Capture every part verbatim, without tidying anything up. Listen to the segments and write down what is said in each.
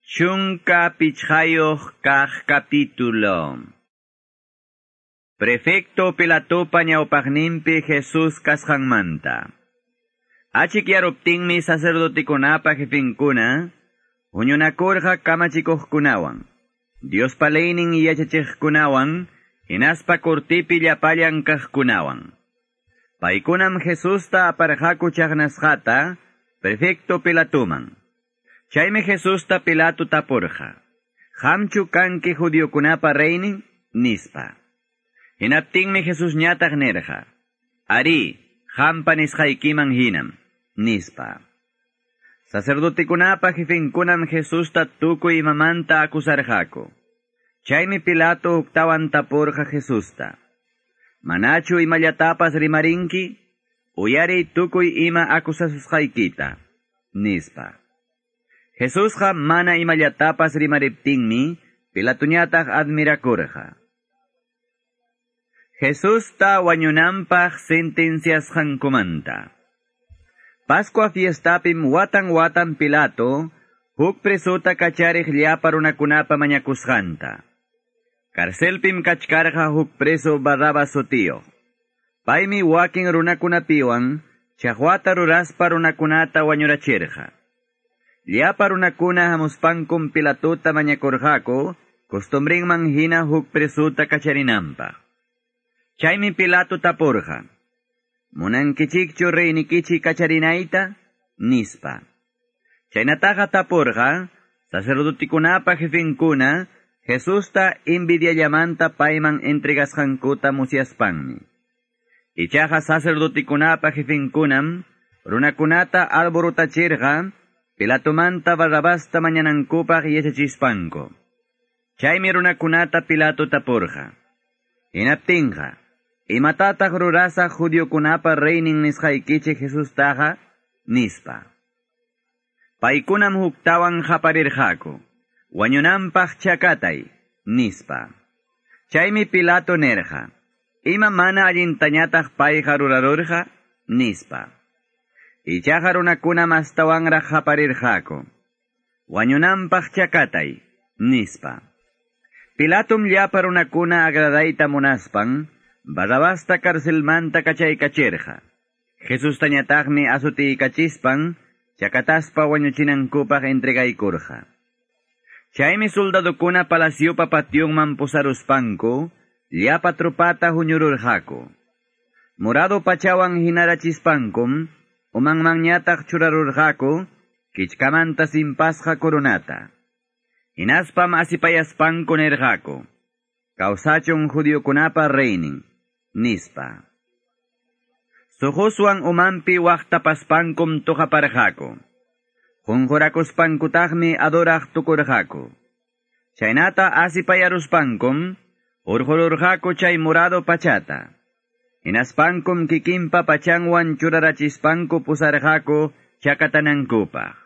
Chunka pichqayuq kaq capítulo. Prefecto Pilatopa ñawpaqninpi Jesús kasqanmanta. Achikyaruptinmi sacerdotikunapa jefinkuna, huñunakurqa kamachikuqkunawan, Diospa leynin yachachiqkunawan, hinaspa kortipi llapallan kaqkunawan. Paykunam Jesusta aparqaku chaqnasqata, prefecto Pilatoman. Chaymi Jesusta Pilato tapurqa: "Qamchu kanki judiokunapa reynin?" nispa. Hinaptinmi Jesusñataq nirqa: "Arí, qampa nisqaykiman hinam", nispa. Sacerdotekunapa jefenkunam Jesusta tukuy imamanta acusarqaku. Chaymi Pilato huktawan tapurqa Jesusta: "Manachu imallatapas rimarinki? Uyariy tukuy ima acusasusqaykita", nispa. Jesusqa mana imallatapas rimariptinmi Pilatoñataq admirakurqa. Jesusta wañunanpaq sentenciasqankumanta. Pascua fiestapim watan watan Pilato huk presota kachariq llapa runakunapa mañakusqanta. Carcelpim kachkarqa huk preso Barrabás sutiyuq. Paymi wakin runakunapiwan chaqwata ruraspa runakunata wañurachirqa. Llapa runakuna hamuspankum Pilatota mañakurqaku costumbrinman hina huk presuta kacharinanpaq. Chaymi Pilato tapurqa: "Munankichikchu reynikichik kacharinayta?" nispa. Chaynataqa tapurqa sacerdotikunapa jefenkuna Jesusta envidiallamanta payman entregasqankuta musyaspanmi. Ichaqa sacerdotikunapa jefenkunam runakunata alborotachirqa Pilatomanta Barrabasta mañanankupaq yachachispanku. Chaymi runakunata Pilato tapurqa: "Hinaptinqa, imatataq rurasaq judiokunapa reynin nisqaykichik Jesustaqa?" nispa. Paykunam huktawan qaparirqaku: "Wañunanpaq chakatay", nispa. Chaymi Pilato nirqa: "Ima mana allintañataq payqa rurarurqa?" nispa. Ichaqa runakuna mastawanraq qaparirqaku: "Wañunanpaq chakatay", nispa. Pilatom llapa runakuna agradayta munaspan Barrabasta carcelmanta kachaykachirqa. Jesustañataqmi azutiykachispan chakataspa wañuchinankupaq entregaykurqa. Chaymi soldadokuna palaciopa pationman pusaruspanku llapa tropata huñururqaku. Morado pachawan hinarachispankum umanmanñataq churarurqaku kichkamanta simpasqa coronata. Hinaspam asipayaspanku nirqaku: "Kawsachun judiokunapa reynin", nispa. Suquswan umanpi waqtapaspankum tuqaparqaku. Qunqurakuspankutaqmi adoraq tukurqaku. Chaynata asipayaruspankum hurqururqaku chay morado pachata. Hinaspankum kikinpa pachanwan churarachispanku pusarqaku chakatanankupaq.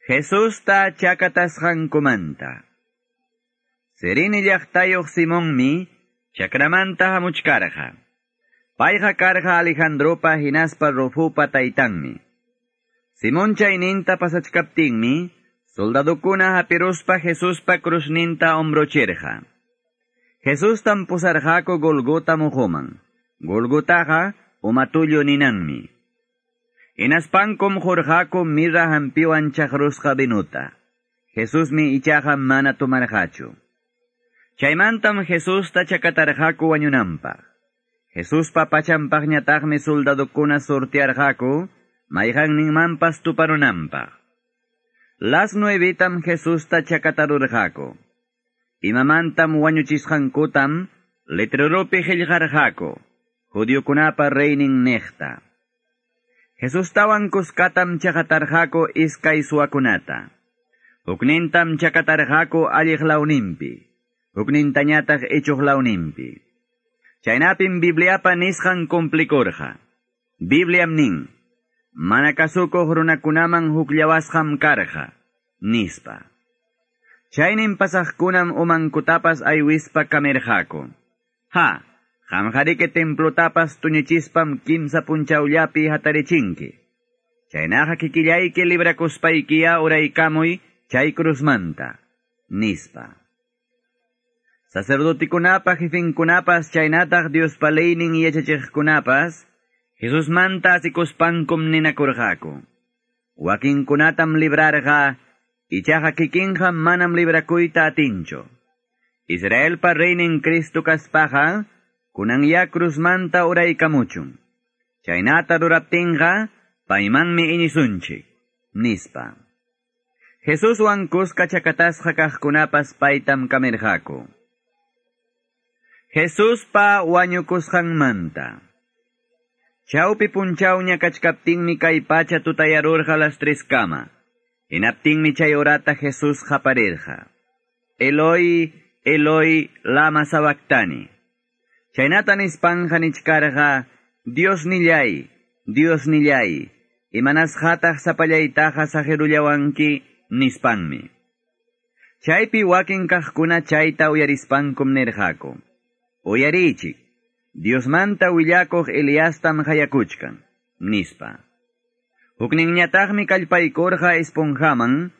Jesusta chakatasqankumanta. Cirene llaqtayuq Simonmi chakramanta hamuchkarqa. Payqa karqa Alejandropa hinaspa Rufopa taytanmi. Simón chayninta pasachkaptinmi soldadokuna hapiruspa Jesuspa cruzninta hombrochirqa. Jesustam pusarqaku Golgota muquman. Golgotaqa umatullu ninanmi. Hinaspankum qurqaku mirra hampiwan chaqrusqa vinuta. Jesusmi ichaqa mana tomarqachu. Chaymantam Jesusta chakatarqaku wañunanpaq. Jesuspa pachanpaqñataqmi soldadokuna sortearqaku mayqanninmanpas tuparunanpaq. Las nuevetam Jesusta chakatarurqaku. Imamantam wañuchisqankutam letreropi qillqarqaku, judiokunapa reynin niqta. Jesustawan kuskatam chakatarqaku iskay suwakunata. Huknintam chakatarqaku alliq lawninpi, huknintañataq ichuq lawninpi. Chaynapim Bibliapa nisqan cumplikurqa. Bibliam nin: "Mana kasukuq runakunaman hukllawasqam karqa", nispa. Chaynin pasaqkunam umankutapas aywispa kamirqaku: "Ha, qamqariki templotapas tuñichispam kimsa punchawllapi hatarichinki. Chaynaqa kikillayki librakuspaykiya uraykamuy chay cruzmanta, nispa. Sacerdotikunapa jefinkunapas chaynataq Diospa leynin yachachiqkunapas Jesusmanta asikuspankum ninakurqaku. Wakinkunatam librarqa, ichaqa kikinqa manam librakuyta atinchu. Israelpa reynin Cristo kaspaqa, kunanya cruzmanta uraykamuchun. Chaynata ruraptinqa, paymanmi iñisunchik, nispa. Jesuswan kuska chakatasqa kaqkunapas paytam kamirqaku. Jesuspa wañukusqanmanta. Chawpi punchawña kachkaptinmi kay pacha tutayarurqa las tres kama. Hinaptinmi chay horata Jesús qaparirqa. Eloi, Eloi, lama sabactani. Chaynata nispanja nichkarqa, Dios nillay, Dios nillay, imanasqataq sapallaytaqa saqirullawanki nispanmi. Chaypi wakin kaqkuna chayta uyarispankum nirqaku. Uyarichik, Diosmanta willakuq Eliastam hayakuchkan, nispa. Hukninñataqmi kallpaykurqa esponjaman,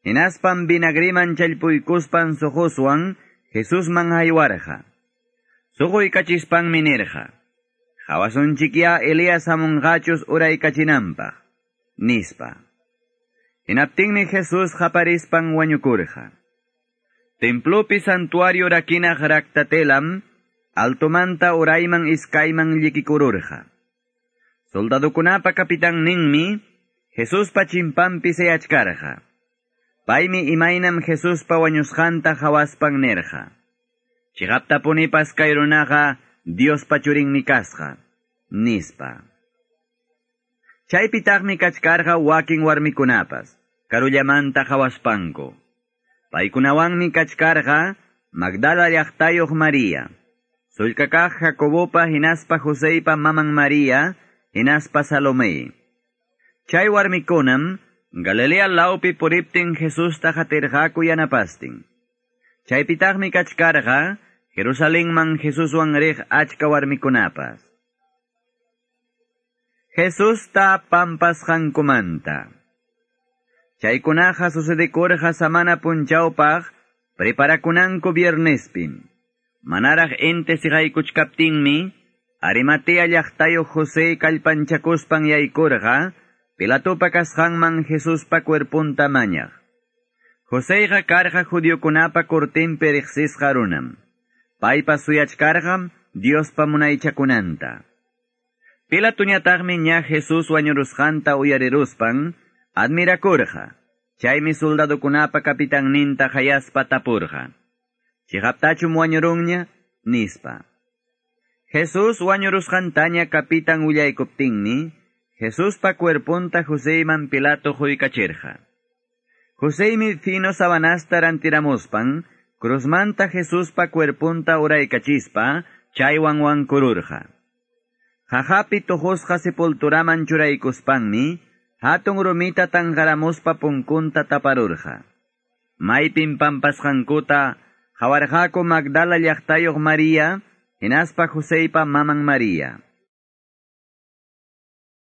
hinaspan vinagriman challpuykuspan suquswan Jesusman haywarqa. Suquykachispanmi nirqa, Hawasunchikya Elías hamunqachus uraykachinanpaq, nispa. Hinaptinmi Jesús qaparispan wañukurqa. Templopi santuario rakinaq raktatelam, altomanta urayman iskayman llikikururqa. Soldadukunapa kapitanninmi Jesuspa chimpanpi sayachkarqa. Paymi imaynam Jesuspa wañusqanta hawaspan nirqa. Chiqaptapunipas kay runaqa Diospa churinmi kasqa, nispa. Chaypitaqmi kachkarqa wakin warmikunapas, karullamanta hawaspanku. Paykunawanmi kachkarqa Magdala llaqtayuq María, sullkakaq Jacobopa hinaspa Joseypa maman María, hinaspa Salomé. Chay warmikunam Galilea lawpi puriptin Jesusta qatirqaku yanapastin. Chaypitaqmi kachkarqa Jerusalenman Jesuswan riq achka warmikunapas. Jesusta pampasqankumanta. Chaykunaqa sucedikurqa samana punchawpaq preparakunanku viernespim. Manaraq inti siqaykuchkaptinmi Arimatea llaqtayuq José kallpanchakuspan yaykurqa Pilatopa kasqanman Jesuspa cuerpunta mañaq. Joseyqa karqa judiokunapa cortinpi riqsisqa runam. Paypa suyachkarqam Diospa munaychakunanta. Pilatoñataqmi ña Jesús wañurusqanta uyariruspan admirakurqa. Chaymi soldadukunapa kapitanninta hayaspa tapurqa. Chiqaptachum wañurunña, nispa. Jesús wañurusqantaña kapitan willaykuptinmi, Jesuspa cuerpunta Joseyman Pilato huykachirqa. Joseymi fino sabanasta rantiramuspan, cruzmanta Jesuspa cuerpunta uraykachispa, chaywan wankururqa. Jajapi tuqusqa sepulturaman churaykuspanmi, hatun rumita tanqaramuspa punkunta taparurqa. Maypin pampasqankuta hawarqaku Magdala llaqtayuq María, hinaspa Joseypa maman María.